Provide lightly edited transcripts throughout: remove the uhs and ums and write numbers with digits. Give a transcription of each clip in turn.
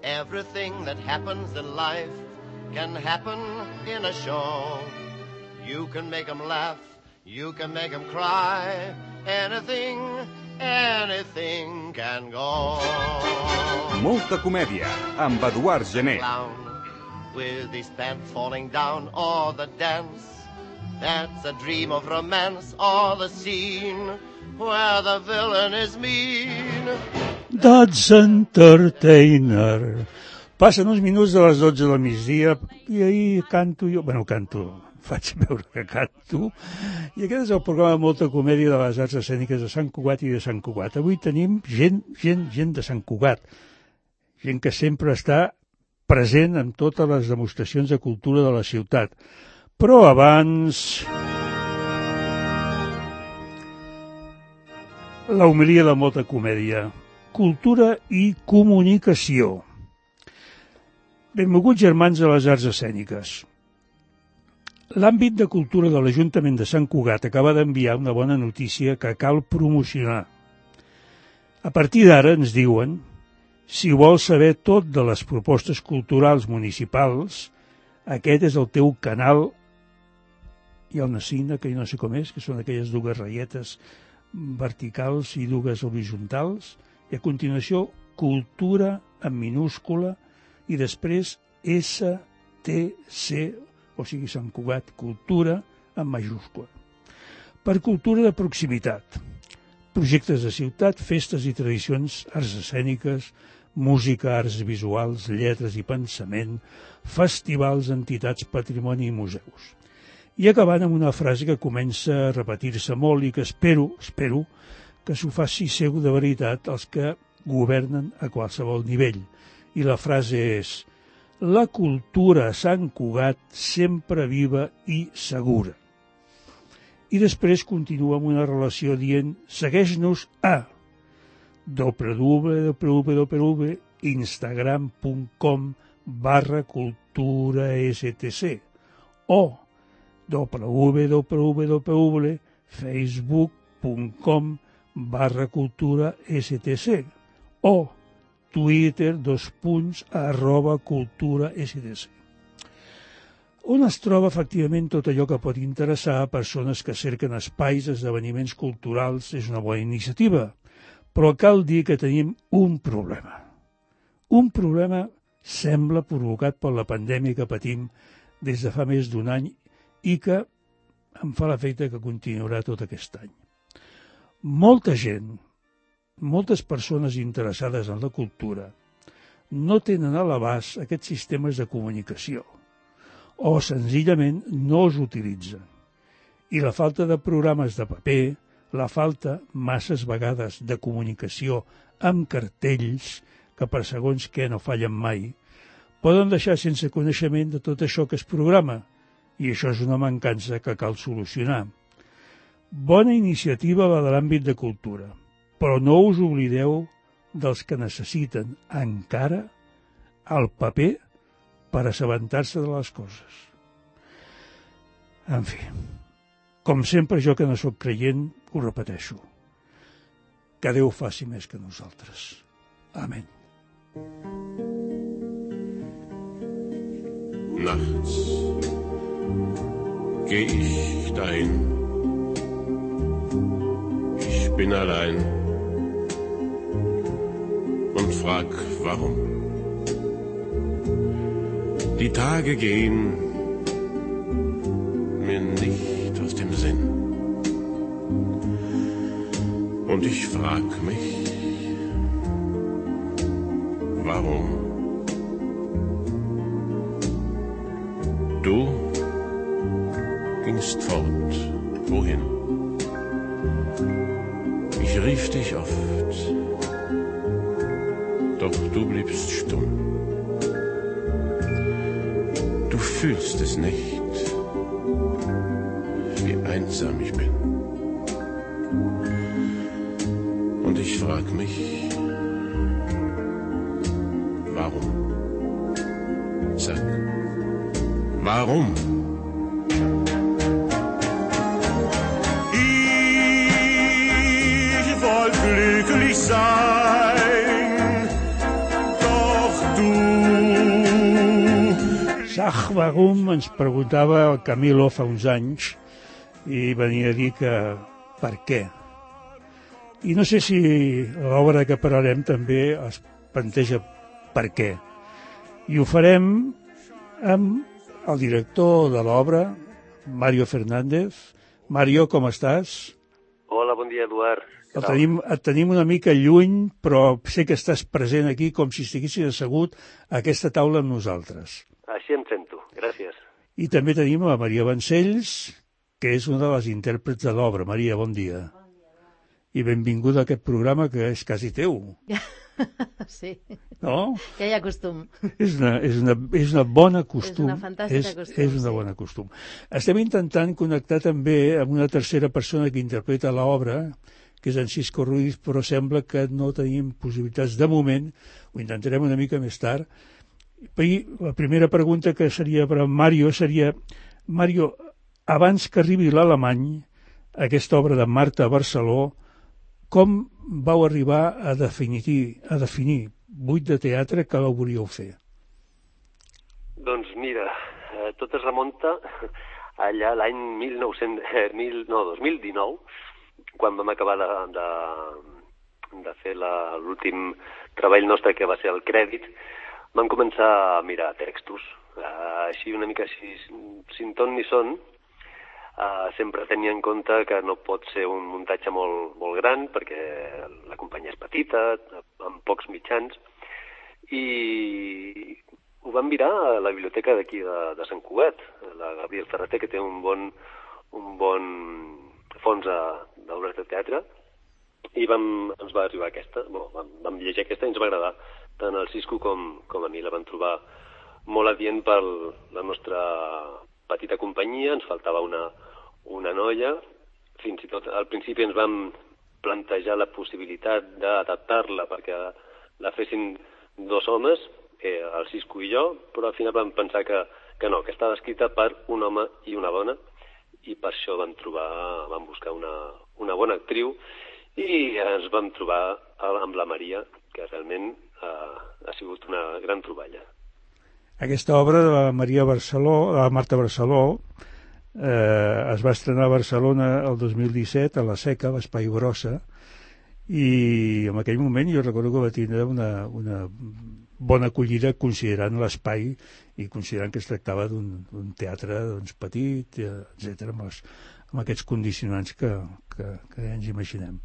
Everything that happens in life can happen in a show. You can make 'em laugh, you can make 'em cry. Anything can go. Molta comèdia, amb Eduard Gené. Clown with his pants falling down, or the dance that's a dream of romance, or the scene where the villain is mean. That's Entertainer. Passen uns minuts de les 12 del migdia i ahir canto jo... faig veure que canto. I aquest és el programa de Molta Comèdia de les Arts Escèniques de Sant Cugat i de Sant Cugat. Avui tenim gent de Sant Cugat. Gent que sempre està present en totes les demostracions de cultura de la ciutat. Però abans... la homilia de Molta Comèdia. Cultura i comunicació. Benvolguts germans de les arts escèniques. L'àmbit de cultura de l'Ajuntament de Sant Cugat acaba d'enviar una bona notícia que cal promocionar. A partir d'ara ens diuen, si vols saber tot de les propostes culturals municipals, aquest és el teu canal. Hi ha una signa que jo no sé com és, que són aquelles dues ratlletes verticals i dues horitzontals, i a continuació cultura en minúscula i després STC, o sigui Sant Cugat, cultura en majúscula. Per cultura de proximitat, projectes de ciutat, festes i tradicions, arts escèniques, música, arts visuals, lletres i pensament, festivals, entitats, patrimoni i museus. I acabant amb una frase que comença a repetir-se molt i que espero que s'ho faci seu de veritat els que governen a qualsevol nivell. I la frase és: la cultura a Sant Cugat sempre viva i segura. I després continua amb una relació dient: segueix-nos a www.instagram.com/culturastc o www.facebook.com/culturastc o Twitter, @culturastc. On es troba efectivament tot allò que pot interessar a persones que cerquen espais, esdeveniments culturals, és una bona iniciativa. Però cal dir que tenim un problema. Un problema sembla provocat per la pandèmia que patim des de fa més d'un any i que em fa l'efecte que continuarà tot aquest any. Molta gent, moltes persones interessades en la cultura no tenen a l'abast aquests sistemes de comunicació o senzillament no els utilitzen. I la falta de programes de paper, la falta masses vegades de comunicació amb cartells, que per segons què no fallen mai, poden deixar sense coneixement de tot això que es programa, i això és una mancança que cal solucionar. Bona iniciativa la de l'àmbit de cultura, però no us oblideu dels que necessiten encara el paper per assabentar-se de les coses. En fi, com sempre, jo que no sóc creient, ho repeteixo. Que Déu faci més que nosaltres. Amén. Nachts geh ich dahin. Ich bin allein und frag, warum. Die Tage gehen mir nicht aus dem Sinn. Und ich frag mich, warum? Du gingst fort, wohin? Ich rief dich oft, doch du bliebst stumm. Du fühlst es nicht, wie einsam ich bin. Und ich frag mich, warum? Sag, warum? Ich wollte glücklich sein, doch du Tag warum ens preguntava el Camilo fa uns anys i venia a dir que per què. I no sé si l'obra que parlarem també es planteja per què. I ho farem amb el director de l'obra, Mario Fernández. Mario, com estàs? Hola, bon dia, Eduard. Et tenim una mica lluny, però sé que estàs present aquí com si estiguessis assegut a aquesta taula amb nosaltres. Així em sento, gràcies. I també tenim a Maria Vancells, que és una de les intèrprets de l'obra. Maria, bon dia. I benvinguda a aquest programa que és quasi teu. Sí, no? Ja hi ha costum. És una bona costum. És una fantàstica costum. És una bona costum. Estem intentant connectar també amb una tercera persona que interpreta l'obra, que és en Cisco Ruiz, però sembla que no tenim possibilitats de moment, ho intentarem una mica més tard. I la primera pregunta que seria per a Mario seria, Mario, abans que arribi l'alemany, aquesta obra de Marta Barceló, com vau arribar a definir buit de teatre que la volíeu fer? Doncs mira, tot es remunta allà l'any 2019, quan vam acabar de fer l'últim treball nostre, que va ser el crèdit. Vam començar a mirar textos, així una mica així, sin ton ni son. Sempre tenia en compte que no pot ser un muntatge molt gran, perquè la companyia és petita, amb pocs mitjans, i ho vam mirar a la biblioteca d'aquí de Sant Cugat, la Gabriel Ferreter, que té un bon fons d'obres de teatre, i ens va arribar aquesta. Vam llegir aquesta i ens va agradar. Tant el Cisco com a mi la vam trobar molt adient per la nostra petita companyia. Ens faltava una noia. Fins i tot al principi ens vam plantejar la possibilitat d'adaptar-la perquè la fessin dos homes, el Cisco i jo, però al final vam pensar que no, que estava escrita per un home i una dona, i per això vam buscar una bona actriu i ens vam trobar amb la Maria, que realment ha sigut una gran troballa. Aquesta obra de la Marta Barceló, es va estrenar a Barcelona el 2017, a la Seca, a l'Espai Brossa, i en aquell moment jo recordo que va tindre una bona acollida considerant l'espai i considerant que es tractava d'un teatre petit, etc., amb aquests condicionants que ja ens imaginem.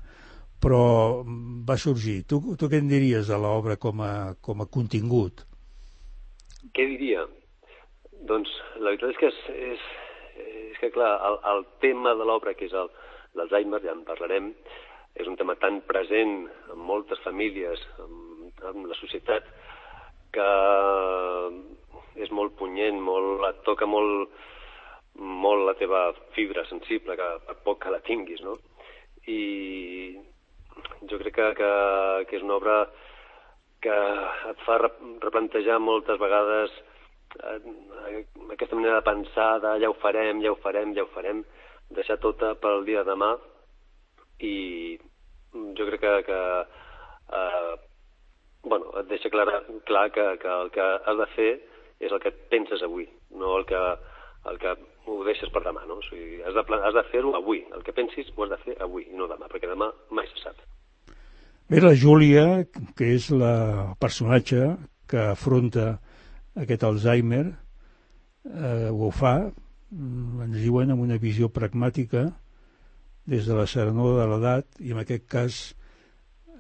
Però va sorgir. Tu què en diries de l'obra com a contingut? Què diria? Doncs la veritat és que clar, el tema de l'obra, que és l'Alzheimer, ja en parlarem, és un tema tan present en moltes famílies, en la societat, que és molt punyent, et toca molt la teva fibra sensible, que per poc que la tinguis, no? I jo crec que és una obra que et fa replantejar moltes vegades aquesta manera de pensar de ja ho farem, deixar tota pel dia de demà. I jo crec que et deixa clar que el que has de fer és el que penses avui, no el que ho deixes per demà, no? O sigui, has de fer-ho avui, el que pensis ho has de fer avui i no demà, perquè demà mai se sap. Bé, la Júlia, que és la personatge que afronta aquest Alzheimer, ho fa, ens diuen, amb una visió pragmàtica, des de la serenor de l'edat, i en aquest cas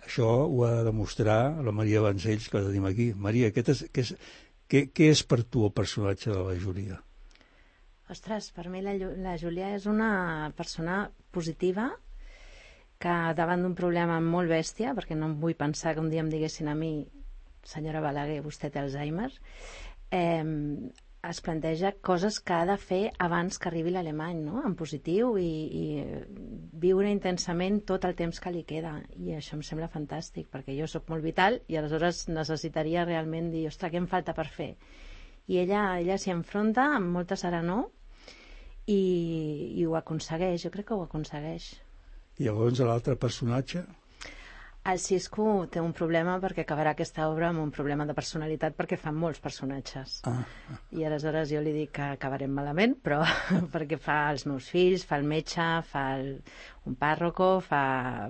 això ho ha de demostrar la Maria Vancells, que la tenim aquí. Maria, què és per tu el personatge de la Júlia? Ostres, per mi la Júlia és una persona positiva que davant d'un problema molt bèstia, perquè no em vull pensar que un dia em diguessin a mi, senyora Balaguer, vostè té Alzheimer, es planteja coses que ha de fer abans que arribi l'alemany, no? En positiu, i viure intensament tot el temps que li queda, i això em sembla fantàstic, perquè jo sóc molt vital i aleshores necessitaria realment dir, ostres, què em falta per fer? I ella s'hi enfronta amb molta serenor i ho aconsegueix, jo crec que ho aconsegueix. I llavors l'altre personatge? El Cisco té un problema perquè acabarà aquesta obra amb un problema de personalitat perquè fan molts personatges. I aleshores jo li dic que acabarem malament, però perquè fa els meus fills, fa el metge, fa un pàrroco, fa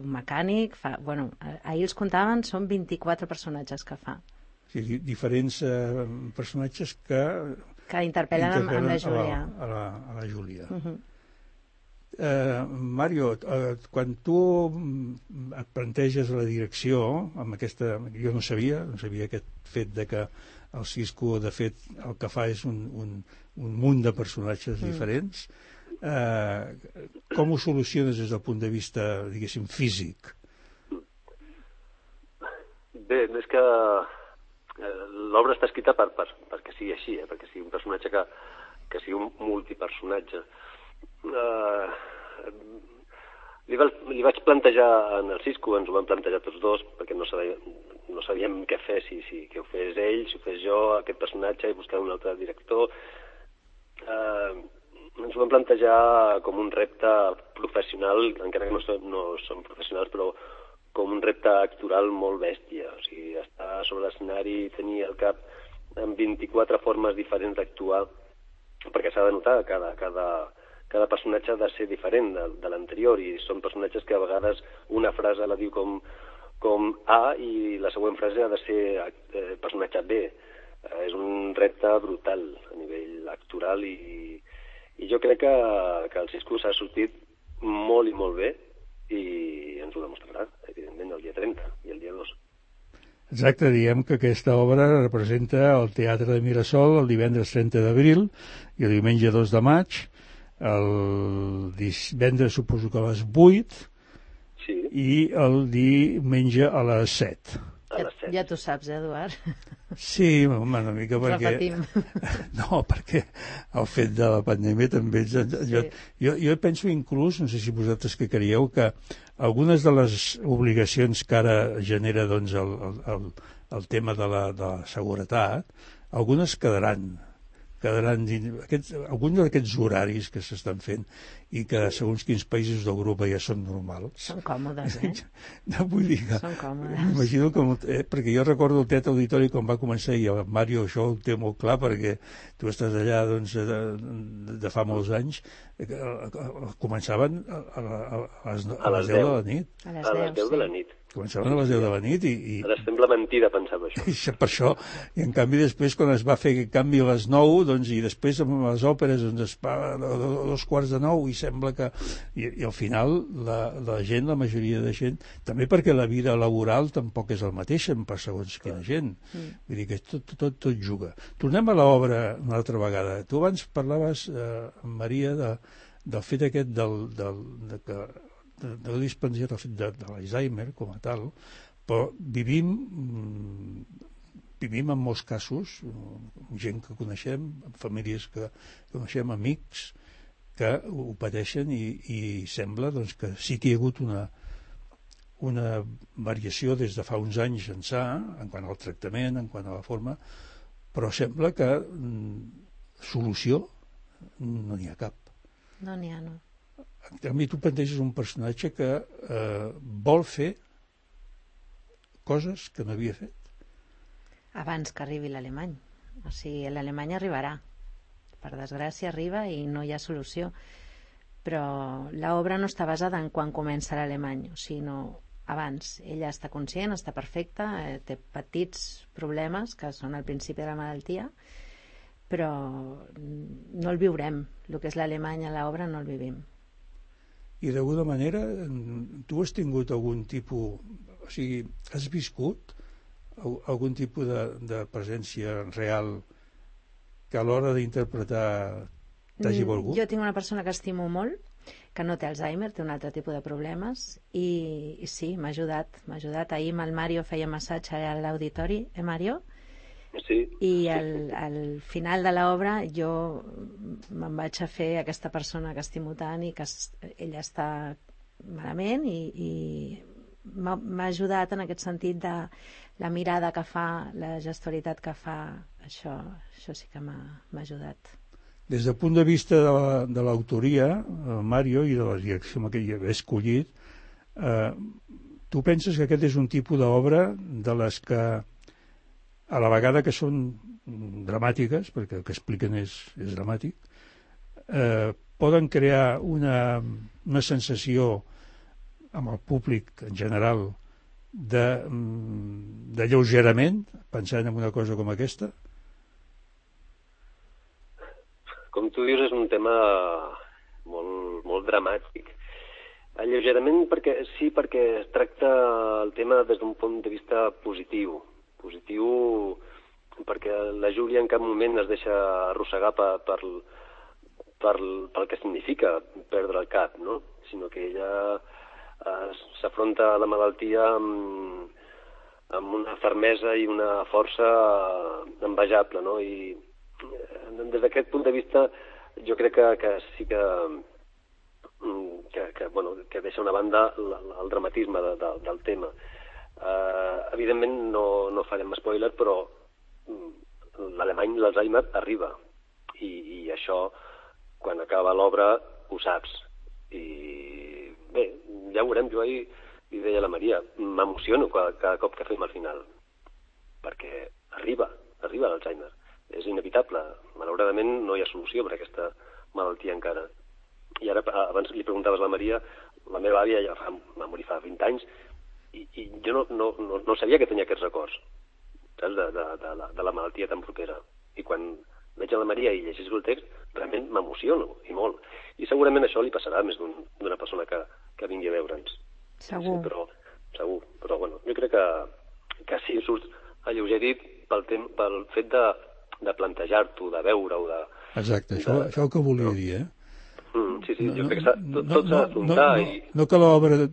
un mecànic, bueno, ahir els comptaven, són 24 personatges que fa. Sí, diferents personatges que interpel·len amb la Júlia. A la Júlia. Mario, quan tu et planteges la direcció amb aquesta... Jo no sabia aquest fet de que el Cisco, de fet, el que fa és un munt de personatges diferents. Com ho soluciones des del punt de vista, diguéssim, físic? Bé, és que l'obra està escrita perquè sigui així, perquè sigui un personatge que sigui un multipersonatge. Li vaig plantejar en el Cisco, ens ho vam plantejar tots dos, perquè no sabíem què fer, si que ho fes ell, si ho fes jo, aquest personatge, i buscar un altre director. Ens ho vam plantejar com un repte professional, encara que no som professionals, però com un repte actoral molt bèstia. O sigui, estar sobre l'escenari i tenir al cap amb 24 formes diferents d'actuar, perquè s'ha de notar cada personatge ha de ser diferent de l'anterior, i són personatges que a vegades una frase la diu com A i la següent frase ha de ser personatge B. És un repte brutal a nivell actoral, i jo crec que el Cisco s'ha sortit molt i molt bé, i ens ho demostrarà, evidentment, el dia 30 i el dia 2. Exacte, diem que aquesta obra representa el Teatre de Mirasol el divendres 30 d'abril i el diumenge 2 de maig, el divendres suposo que a les 8, sí, i el diumenge a les 7. Ja t'ho saps, Eduard? Sí, una mica perquè... Repetim. No, perquè el fet de la pandèmia també... Jo penso inclús, no sé si vosaltres que creieu, que algunes de les obligacions que ara genera doncs, el tema de la seguretat, algunes quedaran alguns d'aquests horaris que s'estan fent i que segons quins països d'Europa ja són normals. Són còmodes, No vull dir que... Són còmodes. M'imagino que... perquè jo recordo el Teatre Auditori quan va començar, i el Mario això ho té molt clar perquè tu estàs allà doncs, de fa molts anys, començaven a les 10 de la nit. A les 10 de la nit. Començaven a les 10 de la nit i... Ara sembla mentida pensar això. Per això, i en canvi després quan es va fer aquest canvi a les 9, doncs, i després amb les òperes doncs, es va a 8:45 i sembla que... I al final la gent, la majoria de gent, també perquè la vida laboral tampoc és el mateix per segons quina gent. Vull dir que tot juga. Tornem a l'obra una altra vegada. Tu abans parlaves, Maria, del fet aquest de dispensió del fet de l'Alzheimer com a tal, però vivim en molts casos, gent que coneixem, famílies que coneixem, amics que ho pateixen i sembla doncs, que sí que hi ha hagut una variació des de fa uns anys ençà, en quant al tractament, en quant a la forma, però sembla que solució no n'hi ha cap. No n'hi ha, no. A mi tu planteges un personatge que vol fer coses que no havia fet. Abans que arribi l'alemany. O sigui, l'alemany arribarà. Per desgràcia arriba i no hi ha solució. Però l'obra no està basada en quan comença l'alemany, sinó abans. Ella està conscient, està perfecta, té petits problemes que són al principi de la malaltia, però no el viurem. El que és l'alemany a l'obra no el vivim. I d'alguna manera tu has tingut algun tipus, o sigui, has viscut algun tipus de presència real que a l'hora d'interpretar t'hagi volgut? Jo tinc una persona que estimo molt, que no té Alzheimer, té un altre tipus de problemes, i sí, m'ha ajudat. Ahir amb el Mario feia massatge a l'auditori, Mario? Sí. I al final de l'obra jo me'n vaig a fer aquesta persona que estimo tant i que ella està malament, i m'ha ajudat en aquest sentit de la mirada que fa, la gestualitat que fa. Això sí que m'ha ajudat. Des del punt de vista de l'autoria, Mario, i de la direcció que hi havia escollit, tu penses que aquest és un tipus d'obra de les que a la vegada que són dramàtiques, perquè el que expliquen és dramàtic, poden crear una sensació amb el públic en general d'alleugerament, pensant en una cosa com aquesta? Com tu dius, és un tema molt, molt dramàtic. Alleugerament perquè es tracta el tema des d'un punt de vista positiu. Positiu perquè la Júlia en cap moment es deixa arrossegar pel que significa perdre el cap, no? Sinó que ella s'afronta a la malaltia amb una fermesa i una força envejable, no? I des d'aquest punt de vista jo crec que sí que deixa una banda el dramatisme del tema. Evidentment no farem spoiler, però l'alemany, l'Alzheimer, arriba. I això, quan acaba l'obra, ho saps. I bé, ja ho veurem. Jo ahir li deia a la Maria, m'emociono cada cop que fem al final, perquè arriba l'Alzheimer. És inevitable. Malauradament no hi ha solució per a aquesta malaltia encara. I ara, abans li preguntaves a la Maria, la meva àvia ja va morir fa 20 anys, i jo no sabia que tenia aquests records, saps, de la malaltia tan propera. I quan veig a la Maria i llegeixo el text, realment m'emociono, i molt. I segurament això li passarà a més d'una persona que vingui a veure'ns. Segur. Sí, segur. Però bueno, jo crec que sí, surts alleugerit pel fet de plantejar-t'ho, de veure-ho, Exacte, això que volia dir, eh? Sí, jo crec que tot s'ha d'afrontar. No que l'obra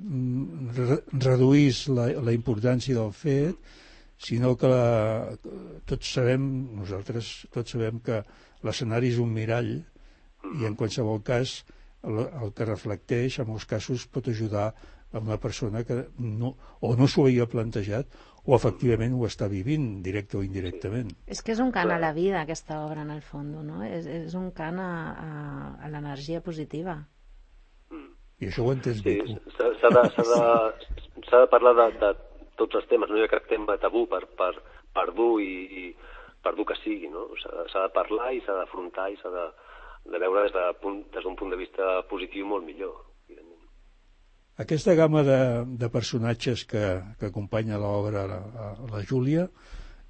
reduís la importància del fet, sinó que nosaltres tots sabem que l'escenari és un mirall i en qualsevol cas el que reflecteix en molts casos pot ajudar a una persona que no s'ho havia plantejat o efectivament ho està vivint, directe o indirectament. És que és un cant a la vida, aquesta obra, en el fons, no? És un cant a l'energia positiva. I això ho entens bé, tu. S'ha de parlar de tots els temes, no hi ha cap tema tabú per dur i per dur que sigui, no? S'ha de parlar i s'ha d'afrontar i s'ha de veure des d'un punt de vista positiu molt millor. Aquesta gamma de personatges que acompanya l'obra a la Júlia,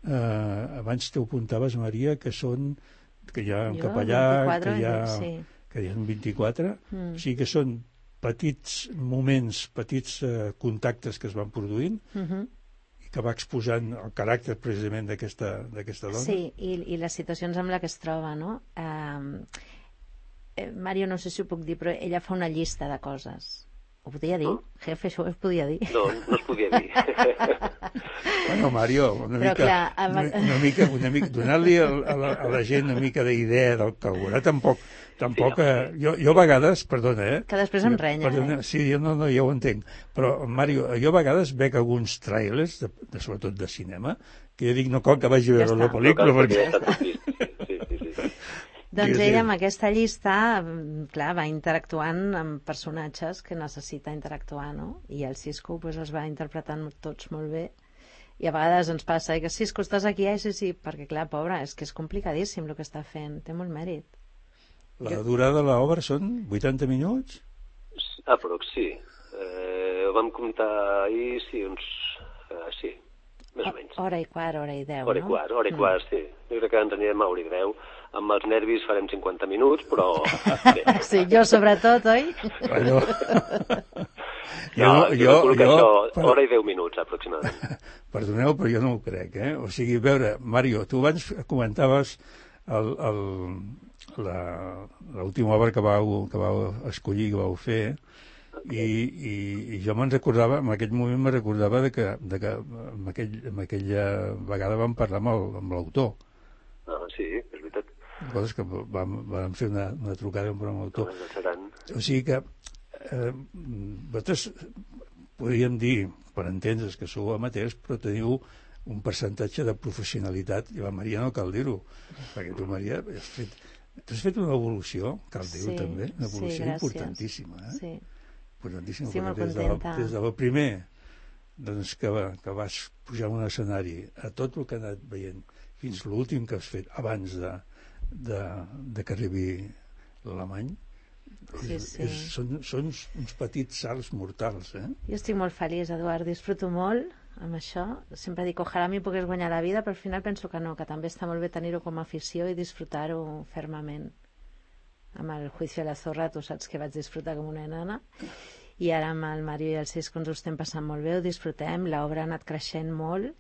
abans t'ho apuntaves, Maria, que hi ha un capellà, que hi ha un 24, o sigui que són petits moments, petits contactes que es van produint i que va exposant el caràcter precisament d'aquesta dona. Sí, i les situacions amb les que es troba, no? Mario, no sé si ho puc dir, però ella fa una llista de coses. Ho podia dir? Jefe, això es podia dir? No es podia dir. Bueno, Mario, una mica donar-li a la gent una mica d'idea del que veurà, tampoc jo a vegades, perdona, que després em renya, sí, jo ho entenc, però Mario, jo a vegades veig alguns trailers, sobretot de cinema, que jo dic, no cal que vagi a veure la pel·lícula, perquè... Doncs ella amb aquesta llista, clar, va interactuant amb personatges que necessita interactuar, no? I el Cisco els va interpretant tots molt bé. I a vegades ens passa que Cisco, estàs aquí? Sí, perquè clar, pobra, és que és complicadíssim el que està fent, té molt mèrit. La durada de l'obra són 80 minuts? Aprox, sí. Ho vam comptar ahir, sí, sí, més o menys. Hora i quart, hora i 10, no? Hora i quart, sí. Jo crec que ens anirem a hora i 10. Amb els nervis farem 50 minuts, però... Sí, jo sobretot, oi? Bueno. Hora i 10 minuts, aproximadament. Perdoneu, però jo no ho crec, eh? O sigui, a veure, Mario, tu abans comentaves l'última obra que vau escollir, que vau fer, i jo me'n recordava, en aquell moment me recordava que en aquella vegada vam parlar amb l'autor. Sí, és veritat. Coses que vam fer una trucada amb l'autor. O sigui que vosaltres podríem dir, per entendre's, que sou amateurs, però teniu un percentatge de professionalitat, i la Maria no cal dir-ho, perquè tu, Maria, has fet una evolució, cal dir-ho també, una evolució importantíssima, Sí, importantíssima, molt des del primer doncs que vas pujar a un escenari a tot el que has anat veient fins l'últim que has fet abans de que arribi l'alemany. Sí. Són uns petits salts mortals, Jo estic molt feliç, Eduard, disfruto molt amb això. Sempre dic, ojalà m'hi pogués guanyar la vida, però al final penso que no, que també està molt bé tenir-ho com a afició i disfrutar-ho fermament. Amb el Juicio de la Zorra, tu saps que vaig disfrutar com una nana, i ara amb el Mario i el Cisco ens ho estem passant molt bé, ho disfrutem, l'obra ha anat creixent molt,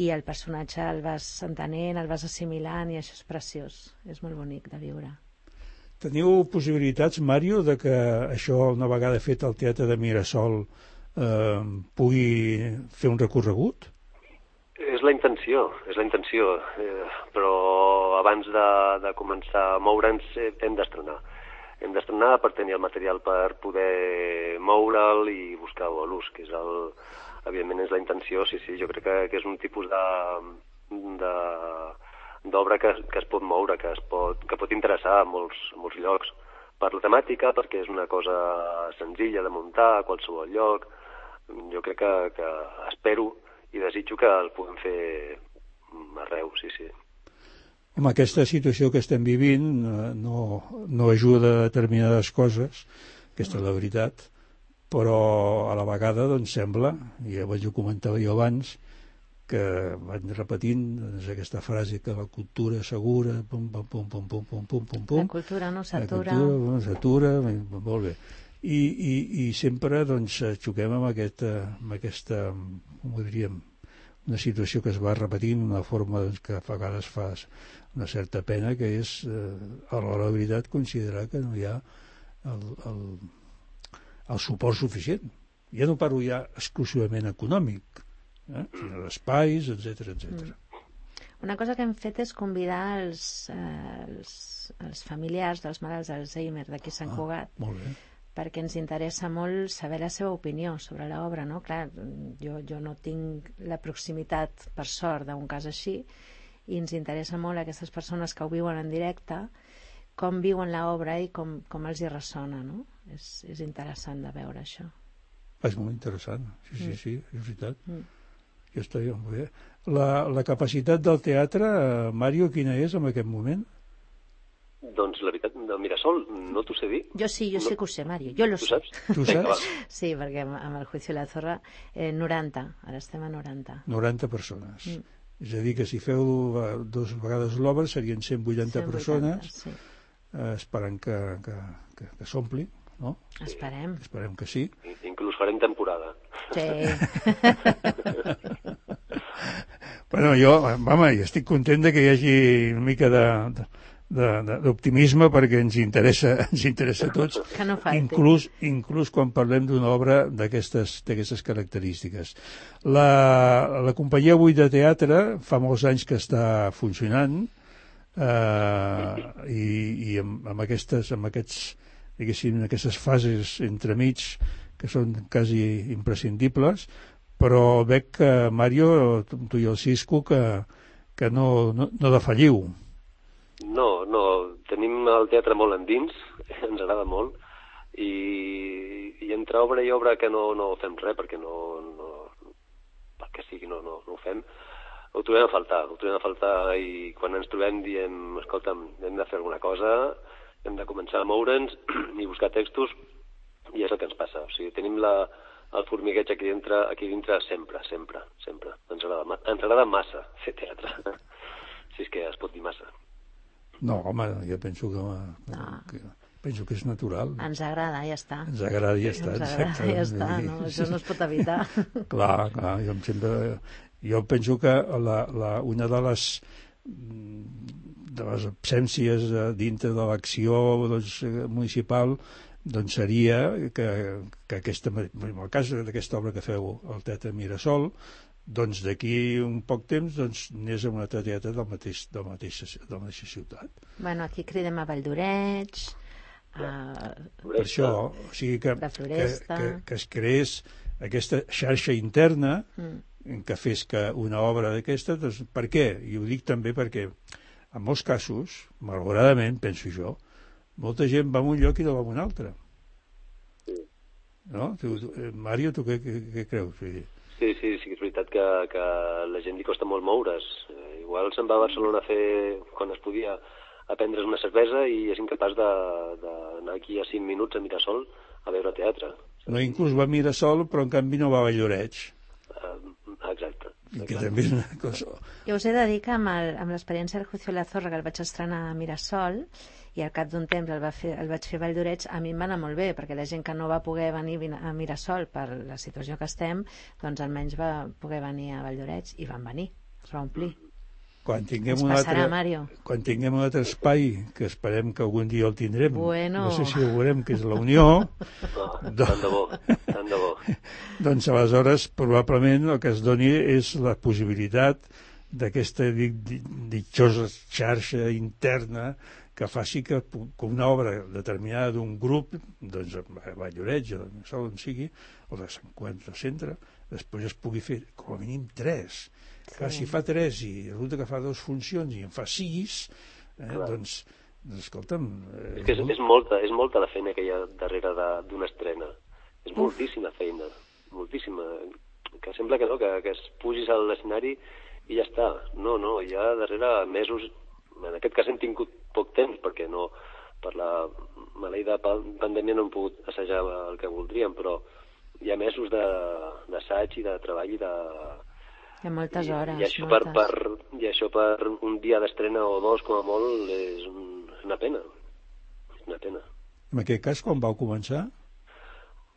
i el personatge el vas entenent, el vas assimilant, i això és preciós, és molt bonic de viure. Teniu possibilitats, Mario, de que això, una vegada fet al Teatre de Mirasol, pugui fer un recorregut? És la intenció, però abans de començar a moure'ns hem d'estrenar. Hem d'estrenar per tenir el material per poder moure'l i buscar l'ús, que és evidentment és la intenció, sí, jo crec que és un tipus d'obra que es pot moure, que pot interessar a molts llocs per la temàtica, perquè és una cosa senzilla de muntar a qualsevol lloc. Jo crec que espero i desitjo que el puguem fer arreu, sí. Home, aquesta situació que estem vivint no ajuda a determinades coses, aquesta és la veritat, però a la vegada doncs sembla, i ja ho comentava jo abans, que van repetint aquesta frase que la cultura s'assegura, pum. La cultura no s'atura. La cultura no s'atura, molt bé. I sempre doncs xoquem amb aquesta, com ho diríem, una situació que es va repetint d'una forma que a vegades fa una certa pena, que és, a l'hora de veritat, considerar que no hi ha el suport suficient. Ja no parlo ja exclusivament econòmic, sinó d'espais, etc. Una cosa que hem fet és convidar els familiars dels malalts d'Alzheimer d'aquí Sant Cugat, perquè ens interessa molt saber la seva opinió sobre l'obra, no? Clar, jo no tinc la proximitat, per sort, d'un cas així, i ens interessa molt aquestes persones que ho viuen en directe, com viuen l'obra i com els hi ressona, no? És interessant de veure això. És molt interessant, sí, és veritat. Jo estic molt bé. La capacitat del teatre, Mario, quina és en aquest moment? Doncs la veritat, del Mirasol no t'ho sé dir. Jo sí que ho sé, Mario, jo lo sé. Tu saps? Sí, perquè amb el Juicio de la Zorra 90, ara estem a 90. 90 persones. És a dir, que si feu 2 vegades l'obra serien 180 persones, sí. Esperant que s'ompli, no? Esperem que sí. Inclús farem temporada. Sí. Bueno, jo estic content de que hi hagi una mica d'optimisme, perquè ens interessa a tots, que no falti. inclús quan parlem d'una obra d'aquestes característiques. La companyia 8 de teatre fa molts anys que està funcionant, i amb aquestes fases entremig que són quasi imprescindibles, però veig que, Mario, tu i el Cisco, que no defalliu. No, tenim el teatre molt endins, ens agrada molt, i entre obra i obra que no fem res, perquè perquè sigui no ho fem, ho trobem a faltar, i quan ens trobem diem, escolta'm, hem de fer alguna cosa, hem de començar a moure'ns i buscar textos, i és el que ens passa. O sigui, tenim el formigueig aquí dintre sempre. Ens agrada massa fer teatre, si és que es pot dir massa. No, home, jo penso que és natural. Ens agrada, ja està. Ens agrada, ja està. No? Això no es pot evitar. Clar, jo penso que una de les absències dintre de l'acció municipal doncs seria que en el cas d'aquesta obra que feu al Teatre Mirasol, doncs d'aquí un poc temps anés a un altre teatre de la mateixa ciutat. Bueno, aquí cridem a Valldoreix, per això, o sigui que es creés aquesta xarxa interna que fes que una obra d'aquesta, doncs per què? I ho dic també perquè en molts casos, malauradament, penso jo, molta gent va a un lloc i no va a un altre. No? Mario, tu què creus? Sí, és veritat que la gent li costa molt moure's. Igual se'n va a Barcelona a fer, quan es podia, a prendre's una cervesa i és incapaç d'anar aquí a 5 minuts a Mirasol a veure teatre. No, inclús va a Mirasol, però en canvi no va a Valldoreix. Exacte. Que també és una cosa... Jo us he de dir que amb l'experiència del Juicio de la Zorra, que el vaig estrenar a Mirasol, i al cap d'un temps el vaig fer a Valldoreix, a mi em va anar molt bé, perquè la gent que no va poder venir a Mirasol per la situació que estem, doncs almenys va poder venir a Valldoreix, i van venir, es va omplir. Quan tinguem Mario. Quan tinguem un altre espai, que esperem que algun dia el tindrem, bueno. No sé si ho veurem, que és la Unió, tant de bo. Doncs aleshores probablement el que es doni és la possibilitat d'aquesta ditjosa xarxa interna que faci que una obra determinada d'un grup, doncs a Valldoreix, on sigui, o de Sant Quant de Centre, després es pugui fer com a mínim 3. Clar, si fa 3 i resulta que fa 2 funcions i en fa 6, doncs escolta'm... És que és molta la feina que hi ha darrere d'una estrena. És moltíssima feina, moltíssima. Que sembla que no, que es pugis a l'escenari i ja està. No, hi ha darrere mesos... En aquest cas hem tingut poc temps, perquè no, per la maleïda pandèmia no hem pogut assajar el que voldríem, però hi ha mesos d'assaig i de treball i de... Hi ha moltes hores, I això moltes. I això per un dia d'estrena o 2, com a molt, és una pena. És una pena. En aquest cas, quan vau començar?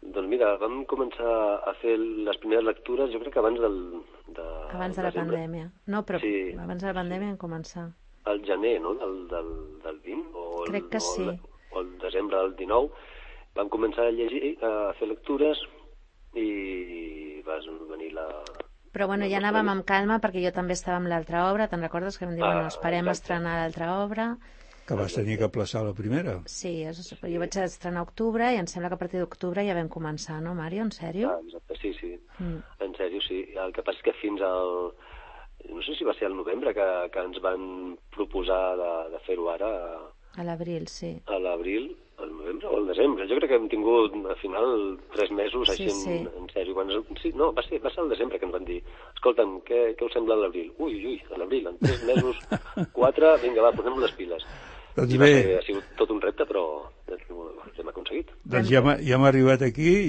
Doncs mira, vam començar a fer les primeres lectures, jo crec que abans abans de la pandèmia. No, però sí, abans de la pandèmia vam començar. Al gener, no?, del 20? Crec que sí. O el desembre del 19. Vam començar a llegir, a fer lectures i vas venir la... Però bueno, ja anàvem amb calma perquè jo també estava amb l'altra obra, te'n recordes que vam dir, bueno, esperem estrenar l'altra obra. Que vas tenir que aplaçar la primera. Sí, jo vaig estrenar a octubre i em sembla que a partir d'octubre ja vam començar, no, Mario? En sèrio? Exacte, sí. En sèrio, sí. El que passa és que fins al... No sé si va ser al novembre que ens van proposar de fer-ho ara. A l'abril, sí. A l'abril, al novembre o al desembre. Jo crec que hem tingut, al final, 3 mesos així en sèrio. Sí, no, va ser al desembre que ens van dir, escolta'm, què us sembla a l'abril? Ui, a l'abril, en 3 mesos, 4, vinga, va, posem les piles. Doncs bé. Ha sigut tot un repte, però hem aconseguit. Doncs ja hem arribat aquí,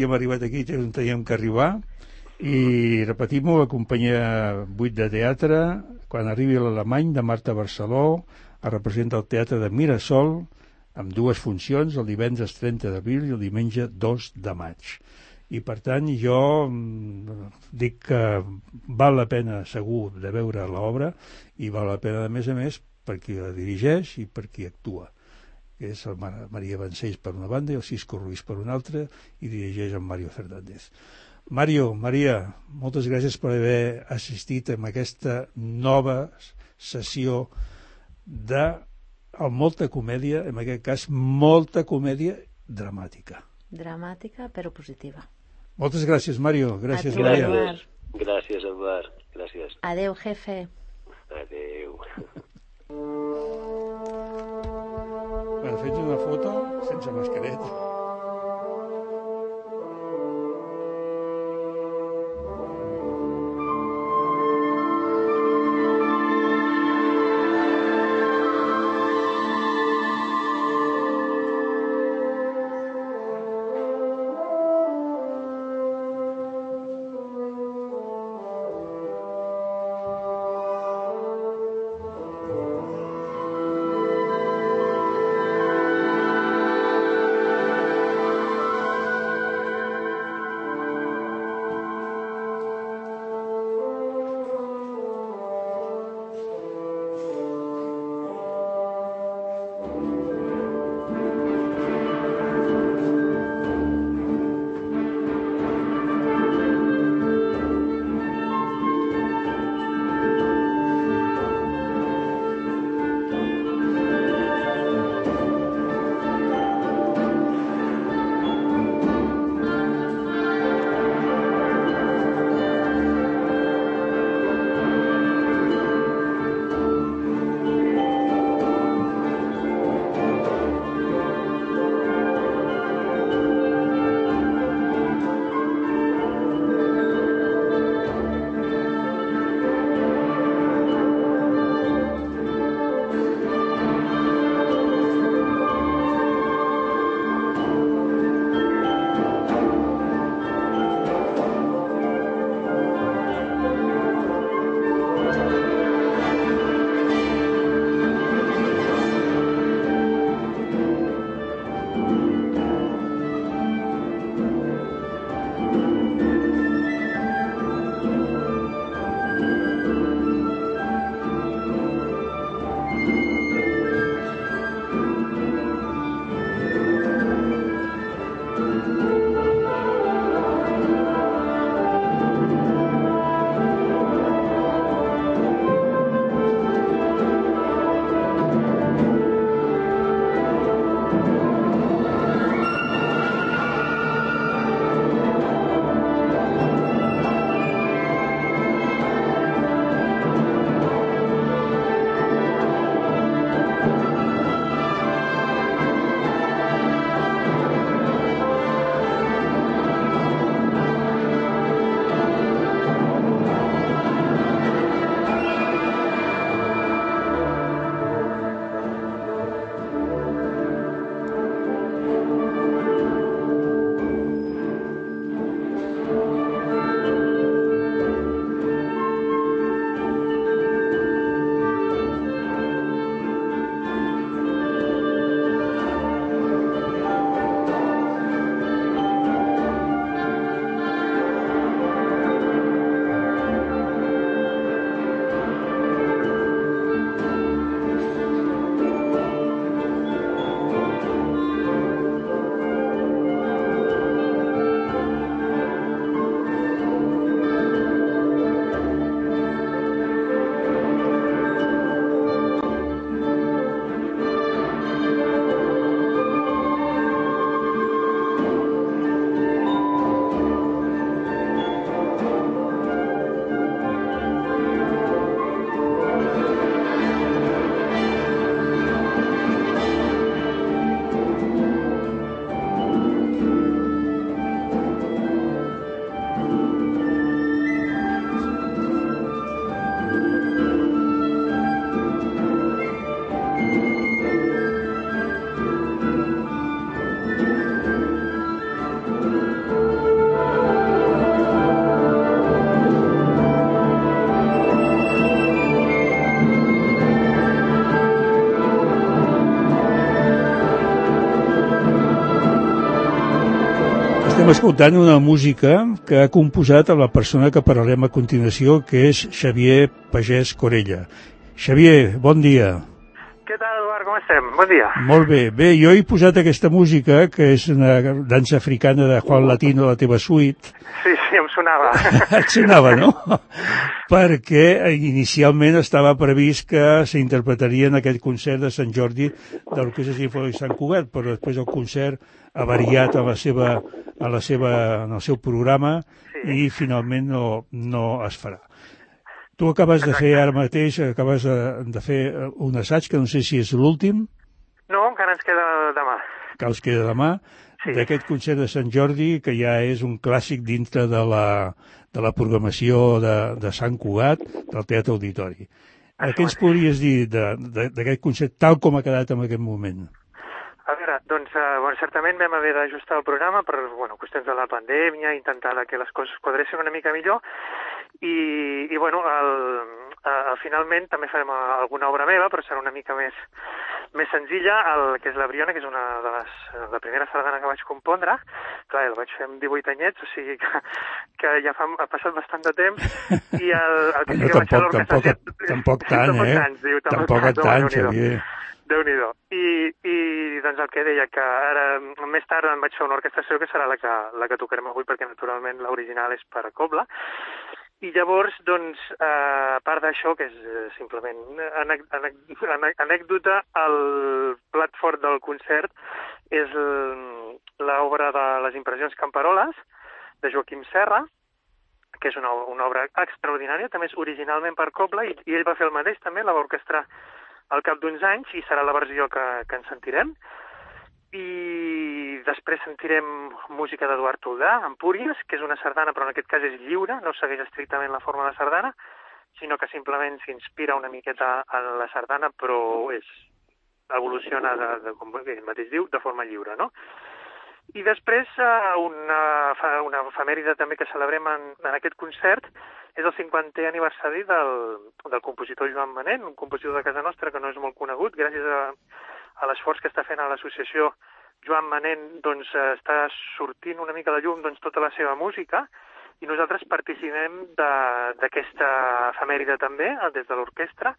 on teníem que arribar, i repetim-ho, la companyia 8 de teatre, quan arribi a l'Alemany, de Marta Barceló, es representa el Teatre de Mirasol, amb 2 funcions, el divendres 30 d'abril i el diumenge 2 de maig. I per tant jo dic que val la pena segur de veure l'obra i val la pena a més per qui la dirigeix i per qui actua, que és el Maria Vancells per una banda i el Cisco Ruiz per una altra, i dirigeix en Mario Fernández. Maria, moltes gràcies per haver assistit a aquesta nova sessió de molta comèdia, en aquest cas molta comèdia dramàtica. Dramàtica però positiva. Moltes gràcies, Mario. Gràcies, Maria. Gràcies, Eduard. Gràcies. Adeu, jefe. Adeu. Bueno, fets una foto sense mascareta. Estem escoltant una música que ha composat a la persona que parlarem a continuació, que és Xavier Pagès Corella. Xavier, bon dia. Què tal, Eduard? Com estem? Bon dia. Molt bé. Bé, jo he posat aquesta música, que és una dansa africana de Juan Latino, la teva suite. Sí, em sonava. Et sonava, no? Perquè inicialment estava previst que s'interpretaria en aquest concert de Sant Jordi de l'Orquestra Simfònica de Sant Cugat, però després el concert ha variat en el seu programa i finalment no es farà. Tu acabes de fer ara mateix, acabes de fer un assaig, que no sé si és l'últim. No, encara ens queda demà. Que us queda demà, d'aquest concert de Sant Jordi, que ja és un clàssic dintre de la programació de Sant Cugat, del Teatre Auditori. Què ens podries dir d'aquest concert tal com ha quedat en aquest moment? A veure, doncs, certament vam haver d'ajustar el programa per qüestions de la pandèmia, intentar que les coses quadressin una mica millor, i finalment també farem alguna obra meva, però serà una mica més senzilla, que és la Briona, que és la primera sardana que vaig compondre. Clar, la vaig fer amb 18 anyets, o sigui que ja ha passat bastant de temps, i el que sí que vaig fer l'orquestra... Tampoc tant, Xavier. Déu-n'hi-do. I doncs el que deia, que ara més tard em vaig fer una orquestració que serà la que tocarem avui, perquè naturalment l'original és per a cobla. I llavors, doncs, a part d'això, que és simplement anècdota, el plat fort del concert és l'obra de les impressions Camperoles, de Joaquim Serra, que és una obra extraordinària, també és originalment per cobla, i ell va fer el mateix també, la va orquestrar al cap d'uns anys, i serà la versió que ens sentirem. I després sentirem música d'Eduard Toldà, Empúries, que és una sardana, però en aquest cas és lliure, no segueix estrictament la forma de sardana, sinó que simplement s'inspira una miqueta en la sardana, però evoluciona, com ell mateix diu, de forma lliure, no? I després una efemèride també que celebrem en aquest concert és el 50è aniversari del compositor Joan Manent, un compositor de casa nostra que no és molt conegut. Gràcies a l'esforç que està fent a l'associació Joan Manent, doncs està sortint una mica a la llum tota la seva música, i nosaltres participem d'aquesta efemèride també, des de l'orquestra,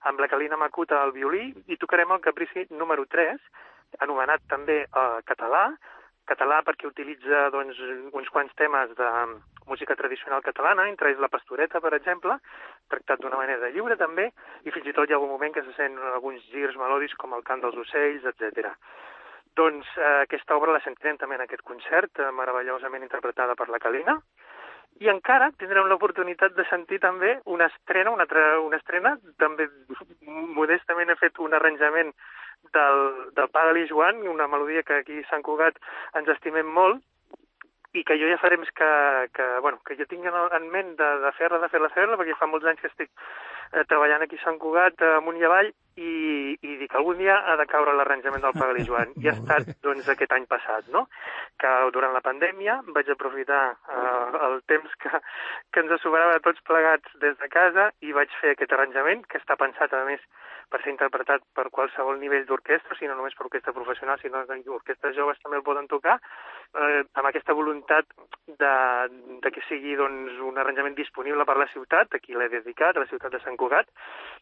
amb la Calina Macuta al violí, i tocarem el Caprici número 3, anomenat també català perquè utilitza uns quants temes de música tradicional catalana, entre ells la pastoreta, per exemple, tractat d'una manera lliure també, i fins i tot hi ha algun moment que se sent alguns girs melòdics com el cant dels ocells, etc. Doncs aquesta obra la sentirem també en aquest concert, meravellosament interpretada per la Calina, i encara tindrem l'oportunitat de sentir també una estrena, també modestament he fet un arranjament del Pa de Joan, una melodia que aquí a Sant Cugat ens estimem molt, i que jo ja fa temps que jo tinc en ment de fer-la, perquè fa molts anys que estic treballant aquí a Sant Cugat, amunt i avall, i dic que algun dia ha de caure l'arranjament del Pa de Joan. I ha estat aquest any passat, no? Que durant la pandèmia vaig aprofitar el temps que ens sobrava a tots plegats des de casa, i vaig fer aquest arranjament, que està pensat, a més, per ser interpretat per qualsevol nivell d'orquestra, si no només per orquestra professional, sinó que orquestres joves també el poden tocar, amb aquesta voluntat de que sigui un arranjament disponible per la ciutat, a qui l'he dedicat, a la ciutat de Sant Cugat,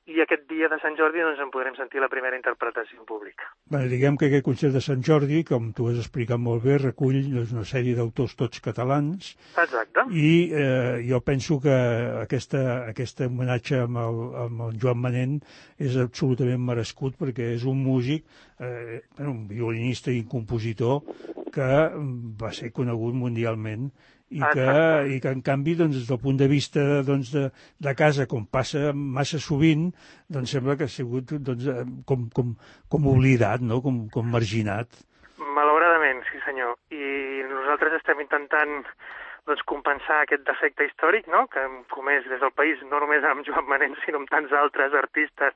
i aquest dia de Sant Jordi en podrem sentir la primera interpretació en públic. Diguem que aquest concert de Sant Jordi, com tu has explicat molt bé, recull una sèrie d'autors tots catalans. Exacte. I jo penso que aquest homenatge amb el Joan Manent és absolutament merescut, perquè és un músic, un violinista i compositor que va ser conegut mundialment, i que en canvi, des del punt de vista de casa, com passa massa sovint, sembla que ha sigut com oblidat, no? Com marginat. Malauradament, sí senyor. I nosaltres estem intentant compensar aquest defecte històric, no?, que hem comès des del país, no només amb Joan Manent, sinó amb tants altres artistes,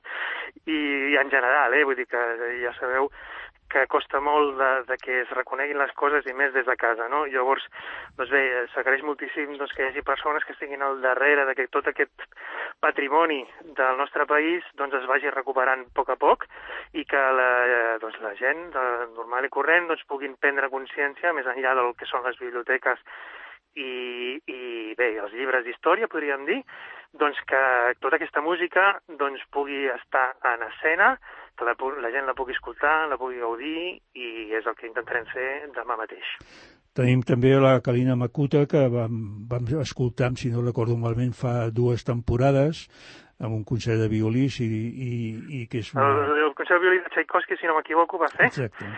i en general, vull dir que ja sabeu que costa molt de que es reconeguin les coses, i més des de casa, no? Llavors, s'agraeix moltíssim que hi hagi persones que estiguin al darrere de que tot aquest patrimoni del nostre país doncs es vagi recuperant a poc i que la gent normal i corrent doncs puguin prendre consciència més enllà del que són les biblioteques i bé, els llibres d'història, podríem dir, doncs que tota aquesta música doncs pugui estar en escena, que la gent la pugui escoltar, la pugui gaudir, i és el que intentarem fer demà mateix. Tenim també la Kalina Makuta, que vam escoltar, si no recordo malament, fa 2 temporades, amb un concert de violí, i que és una... El concert de violí de Tchaikovsky, si no m'equivoco, va fer. Exacte.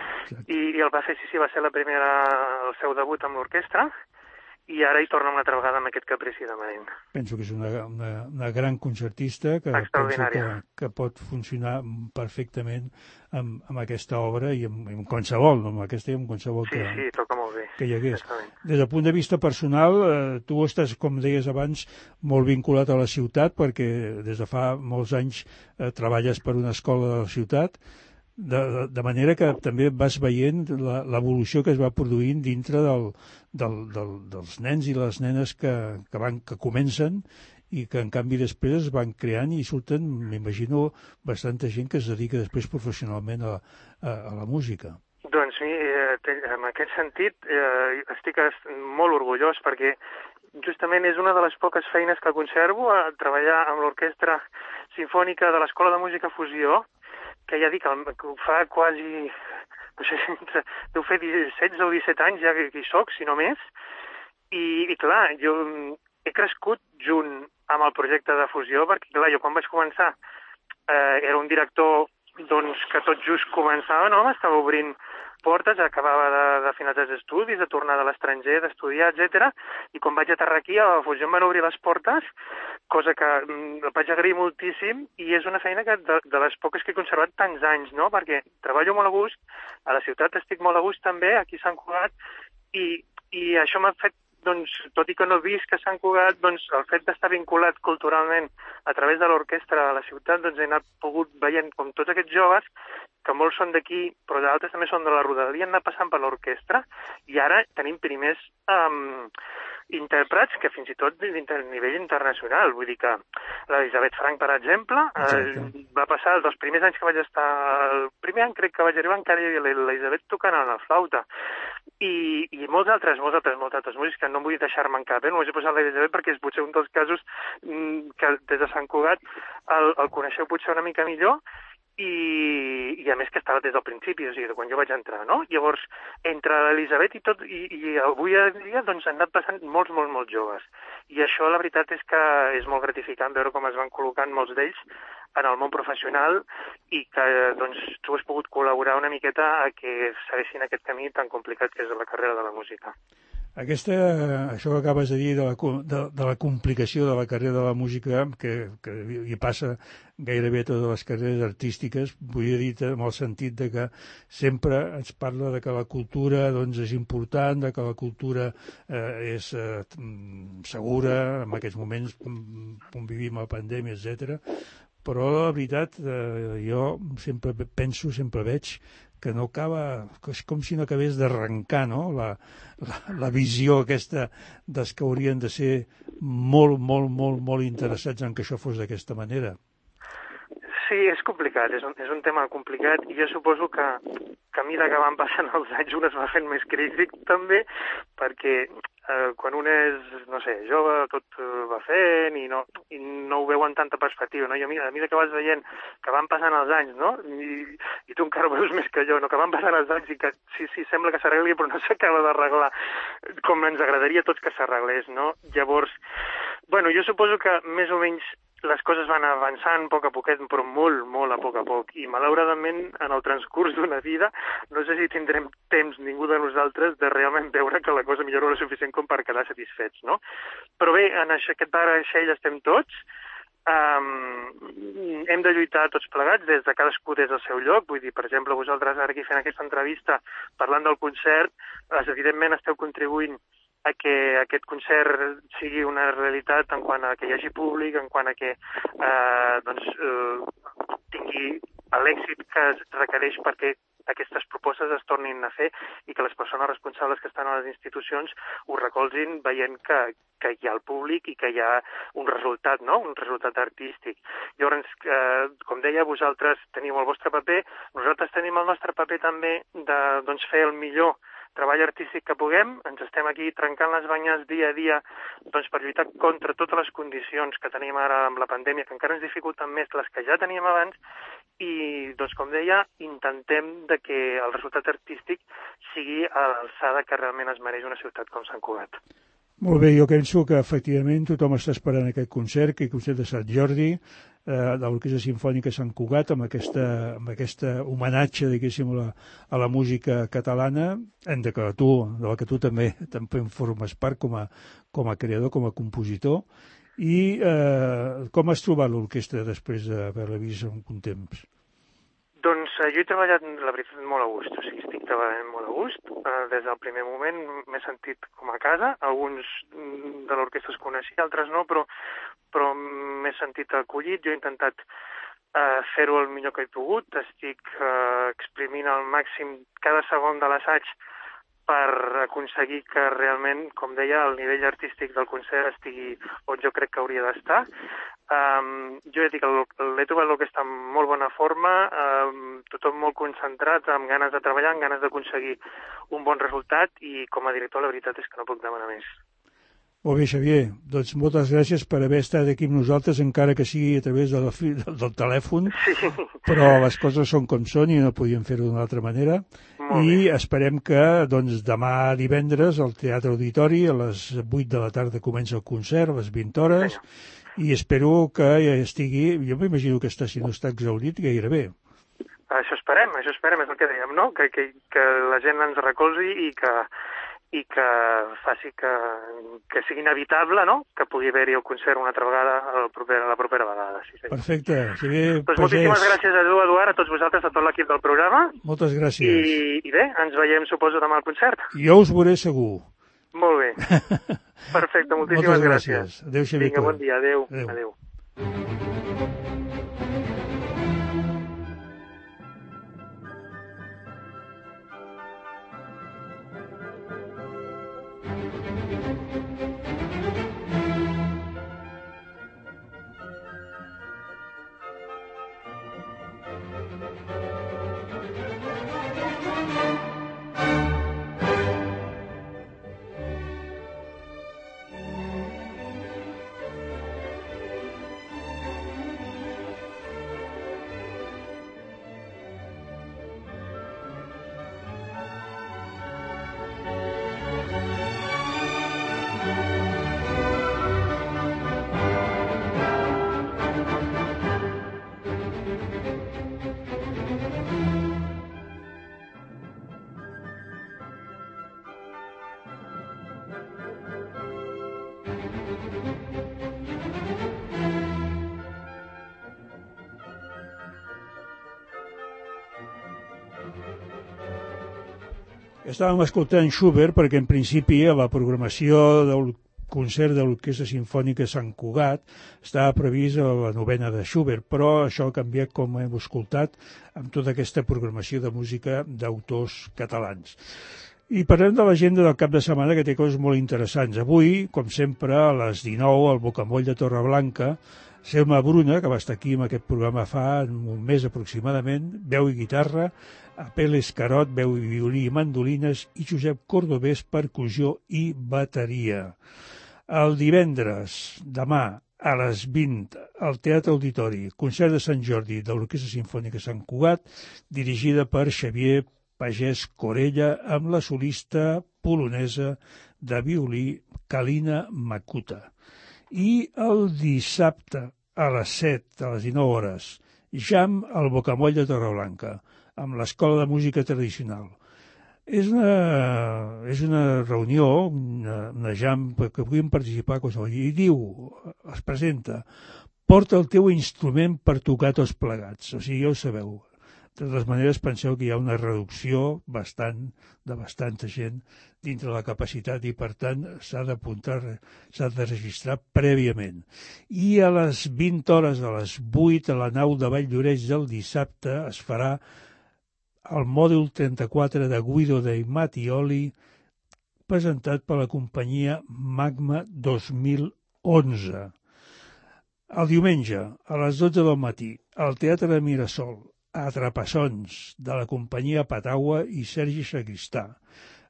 I el va fer, sí, va ser el seu debut amb l'orquestra, i ara hi torna una altra vegada amb aquest Caprici de Marín. Penso que és una gran concertista que penso que pot funcionar perfectament amb aquesta obra i amb qualsevol, no amb aquesta i amb qualsevol sí, toca molt bé, que hi hagués. Des del punt de vista personal, tu estàs, com deies abans, molt vinculat a la ciutat perquè des de fa molts anys treballes per una escola de la ciutat, de manera que també vas veient l'evolució que es va produint dintre dels nens i les nenes que comencen i que en canvi després es van creant i surten, m'imagino, bastanta gent que es dedica després professionalment a la música. Doncs en aquest sentit estic molt orgullós perquè justament és una de les poques feines que conservo, treballar amb l'Orquestra Simfònica de l'Escola de Música Fusió, que ja dic, que fa quasi, no sé, deu fer 16 o 17 anys ja que hi soc, si no més, i clar, jo he crescut junt amb el projecte de fusió, perquè clar, jo quan vaig començar era un director doncs, que tot just començava, no? Estava obrint portes, acabava de finalitzar els estudis, de tornar de l'estranger, d'estudiar, etc. I quan vaig aterrar aquí, a la fusió em van obrir les portes, cosa que vaig agrair moltíssim, i és una feina que de les poques que he conservat tants anys, no? Perquè treballo molt a gust, a la ciutat estic molt a gust també, aquí a Sant Cugat, i això m'ha fet, doncs, tot i que no he vist que Sant Cugat, doncs, el fet d'estar vinculat culturalment a través de l'orquestra a la ciutat, doncs he anat pogut veient com tots aquests joves, que molts són d'aquí, però d'altres també són de la rodalia, han anat passant per l'orquestra, i ara tenim primers intèrprets que fins i tot a nivell internacional. Vull dir que l'Elisabet Frank, per exemple, va passar dels primers anys que vaig estar... El primer any crec que vaig arribar encara hi havia l'Elisabet tocant a la flauta. I molts altres músics que no vull deixar-me en cap, només he posat l'Elisabet perquè és potser un dels casos que des de Sant Cugat el coneixeu potser una mica millor, i a més que estava des del principi, o sigui, de quan jo vaig entrar, no? Llavors, entre l'Elisabet i avui en dia, doncs han anat passant molts joves. I això, la veritat, és que és molt gratificant veure com es van col·locant molts d'ells en el món professional i que, doncs, tu has pogut col·laborar una miqueta a que segueixin aquest camí tan complicat que és la carrera de la música. Això que acabes de dir de la complicació de la carrera de la música, que hi passa gairebé a totes les carreres artístiques, vull dir en el sentit de que sempre ens parla de que la cultura doncs, és important, de que la cultura és segura, en aquests moments on vivim la pandèmia, etc. Però la veritat, jo sempre penso, sempre veig que no acaba, és com si no acabés d'arrencar, no? La visió aquesta dels que haurien de ser molt interessats en que això fos d'aquesta manera. Sí, és complicat, és un tema complicat, i jo suposo que a mesura que van passant els anys un es va fent més crític també, perquè quan un és, no sé, jove, tot va fent i no ho veu en tanta perspectiva, no? I a mesura que vas veient que van passant els anys, no? I tu encara ho veus més que jo, no? Que van passant els anys i que sí, sembla que s'arregli, però no s'acaba d'arreglar com ens agradaria a tots que s'arreglés, no? Llavors, bueno, jo suposo que més o menys les coses van avançant a poc a poquet, però molt a poc. I malauradament, en el transcurs d'una vida, no sé si tindrem temps, ningú de nosaltres, de realment veure que la cosa millora lo suficient com per quedar satisfets, no? Però bé, en aquest vaixell estem tots. Hem de lluitar tots plegats, des de cadascú des del seu lloc. Vull dir, per exemple, vosaltres ara aquí fent aquesta entrevista, parlant del concert, evidentment esteu contribuint a que aquest concert sigui una realitat en quant a que hi hagi públic, en quant a que tingui l'èxit que es requereix perquè aquestes propostes es tornin a fer i que les persones responsables que estan a les institucions ho recolzin veient que hi ha el públic i que hi ha un resultat, no? Un resultat artístic. Llavors, com deia, vosaltres teniu el vostre paper, nosaltres tenim el nostre paper també de fer el millor treball artístic que puguem, ens estem aquí trencant les banyes dia a dia per lluitar contra totes les condicions que tenim ara amb la pandèmia, que encara ens dificulten més les que ja teníem abans, i, com deia, intentem que el resultat artístic sigui a l'alçada que realment es mereix una ciutat com Sant Cugat. Molt bé, jo penso que efectivament tothom està esperant aquest concert, que el concert de Sant Jordi, de l'Orquestra Simfònica Sant Cugat, amb aquesta homenatge, diguéssim, a la música catalana, de la que tu també en formes part com a creador, com a compositor. I com has trobat l'orquestra després d'haver-la vist un temps? Doncs jo he treballat, la veritat, molt a gust. O sigui, estic treballant molt a gust. Des del primer moment m'he sentit com a casa. Alguns de l'orquestra es coneixia, altres no, però m'he sentit acollit. Jo he intentat fer-ho el millor que he pogut. Estic exprimint al màxim cada segon de l'assaig per aconseguir que realment, com deia, el nivell artístic del concert estigui on jo crec que hauria d'estar. Jo he dit que l'he trobat l'orquestra en molt bona forma, tothom molt concentrat, amb ganes de treballar, amb ganes d'aconseguir un bon resultat i com a director la veritat és que no puc demanar més. Molt bé, Xavier. Doncs moltes gràcies per haver estat aquí amb nosaltres, encara que sigui a través del telèfon, sí. Però les coses són com són i no podíem fer-ho d'una altra manera. I esperem que demà divendres al Teatre Auditori a les 8 de la tarda comença el concert, a les 20 hores, i espero que estigui, jo m'imagino que si no està exhaurit gairebé. Això esperem, és el que dèiem, no? Que la gent ens recolzi i que faci que sigui inevitable, no?, que pugui haver-hi el concert una altra vegada la propera vegada. Sí. Perfecte. Xavier Pagès. Moltíssimes gràcies a tu, Eduard, a tots vosaltres, a tot l'equip del programa. Moltes gràcies. I bé, ens veiem, suposo, demà al concert. Jo us veuré segur. Molt bé. Perfecte, moltíssimes gràcies. Adéu, Xavier. Vinga, bon dia, adéu. Estàvem escoltant Schubert perquè en principi a la programació del concert de l'Orquestra Simfònica Sant Cugat estava previst a la novena de Schubert, però això ha canviat, com hem escoltat, amb tota aquesta programació de música d'autors catalans. I parlem de l'agenda del cap de setmana, que té coses molt interessants. Avui, com sempre, a les 19, al Bocamoll de Torreblanca, Selma Bruna, que va estar aquí en aquest programa fa un mes aproximadament, veu i guitarra, Apel Escarot, veu i violí i mandolines, i Josep Cordovés, percussió i bateria. El divendres, demà, a les 20, al Teatre Auditori, concert de Sant Jordi de l'Orquestra Simfònica Sant Cugat, dirigida per Xavier Pagès Corella, amb la solista polonesa de violí Kalina Makuta. I el dissabte, a les 7, a les 19 hores, jam al Bocamoll de Torreblanca, amb l'Escola de Música Tradicional. És una reunió, una jam, que puguin participar qualsevol. I diu, es presenta, porta el teu instrument per tocar tots plegats. O sigui, ja ho sabeu. De totes maneres, penseu que hi ha una reducció de bastanta gent dintre la capacitat i, per tant, s'ha d'apuntar, s'ha de registrar prèviament. I a les 20 hores, a les 8, a la nau de Valldoreix del dissabte, es farà el mòdul 34 de Guido de Mattioli, presentat per la companyia Magma 2011. El diumenge, a les 12 del matí, al Teatre de Mirasol, Atrapassons, de la companyia Patagua i Sergi Sagristà.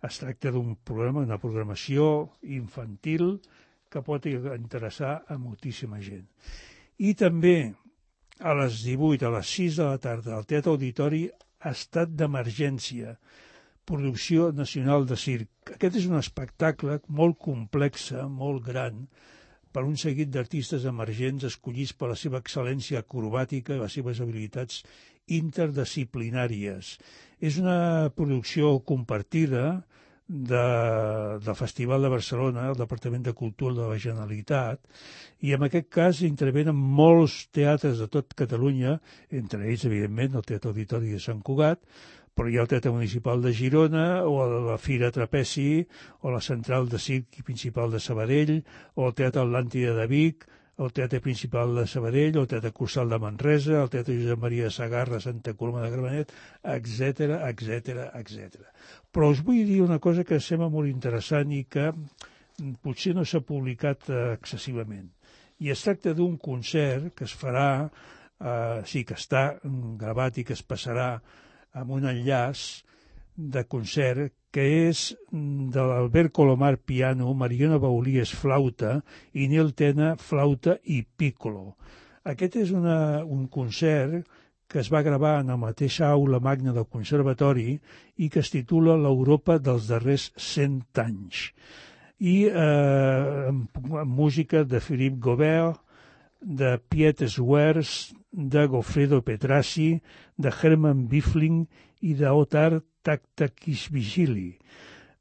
Es tracta d'un programa, una programació infantil que pot interessar a moltíssima gent. I també a les 18, a les 6 de la tarda, al Teatre Auditori, Estat d'Emergència, producció nacional de circ. Aquest és un espectacle molt complex, molt gran, per un seguit d'artistes emergents escollits per la seva excel·lència acrobàtica i les seves habilitats interdisciplinàries. És una producció compartida del Festival de Barcelona, el Departament de Cultura de la Generalitat, i en aquest cas intervenen molts teatres de tot Catalunya, entre ells, evidentment, el Teatre Auditori de Sant Cugat, però hi ha el Teatre Municipal de Girona, o la Fira Trapezi, o la Central de Circ Principal de Sabadell, o el Teatre Atlàntida de Vic, el Teatre Principal de Sabadell, el Teatre Cursal de Manresa, el Teatre Josep Maria de Sagarra, Santa Coloma de Gramenet, etc. Però us vull dir una cosa que sembla molt interessant i que potser no s'ha publicat excessivament. I es tracta d'un concert que es farà, que està gravat i que es passarà amb un enllaç de concert que és de l'Albert Colomar piano, Mariona Baulies flauta i Nil Tena flauta i piccolo. Aquest és un concert que es va gravar en la mateixa aula magna del Conservatori i que es titula l'Europa dels darrers 100 anys. I amb música de Philippe Gaubert, de Piet Swers, de Goffredo Petrassi, de Herman Bifling i d'Otar Taktakishvili.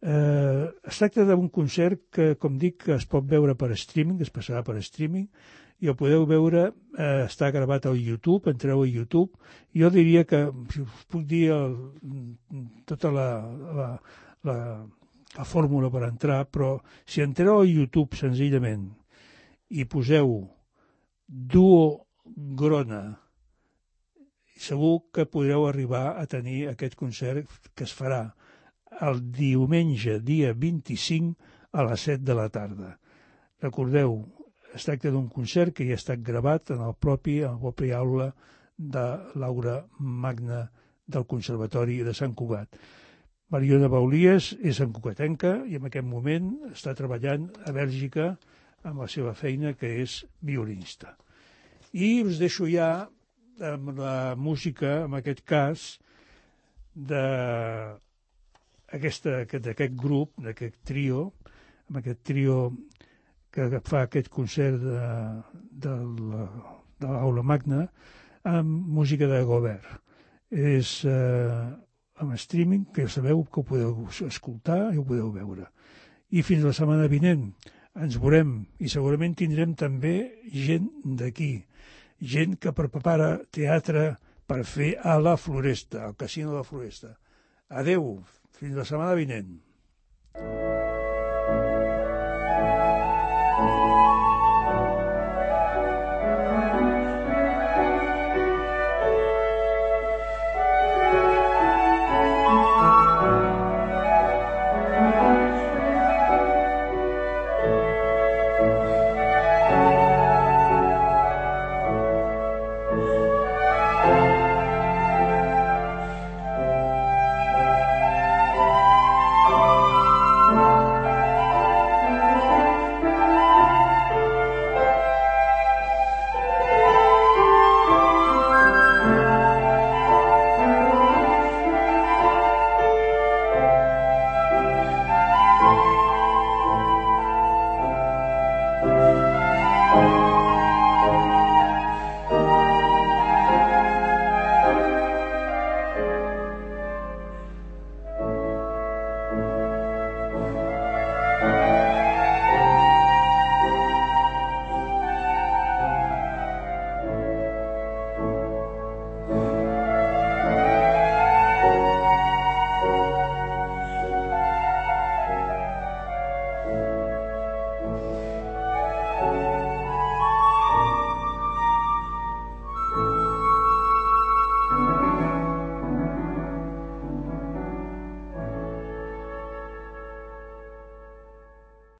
Es tracta d'un concert que, com dic, es pot veure per streaming, es passarà per streaming, i el podeu veure, està gravat al YouTube, entreu a YouTube. Jo diria que, si us puc dir tota la fórmula per entrar, però si entreu al YouTube senzillament i poseu Duo Grona, segur que podreu arribar a tenir aquest concert que es farà el diumenge, dia 25, a les 7 de la tarda. Recordeu, es tracta d'un concert que ja ha estat gravat en la pròpia aula de l'aula magna del Conservatori de Sant Cugat. Mariona Baulies és santcugatenca i en aquest moment està treballant a Bèlgica amb la seva feina, que és violinista. I us deixo ja amb la música, en aquest cas, d'aquest grup, d'aquest trio, amb aquest trio que fa aquest concert de l'aula magna, amb música de Gaubert. És amb streaming, que ja sabeu que ho podeu escoltar i ho podeu veure. I fins la setmana vinent ens veurem i segurament tindrem també gent d'aquí, gent que prepara teatre per fer a la Floresta, al Casino de la Floresta. Adeu, fins la setmana vinent.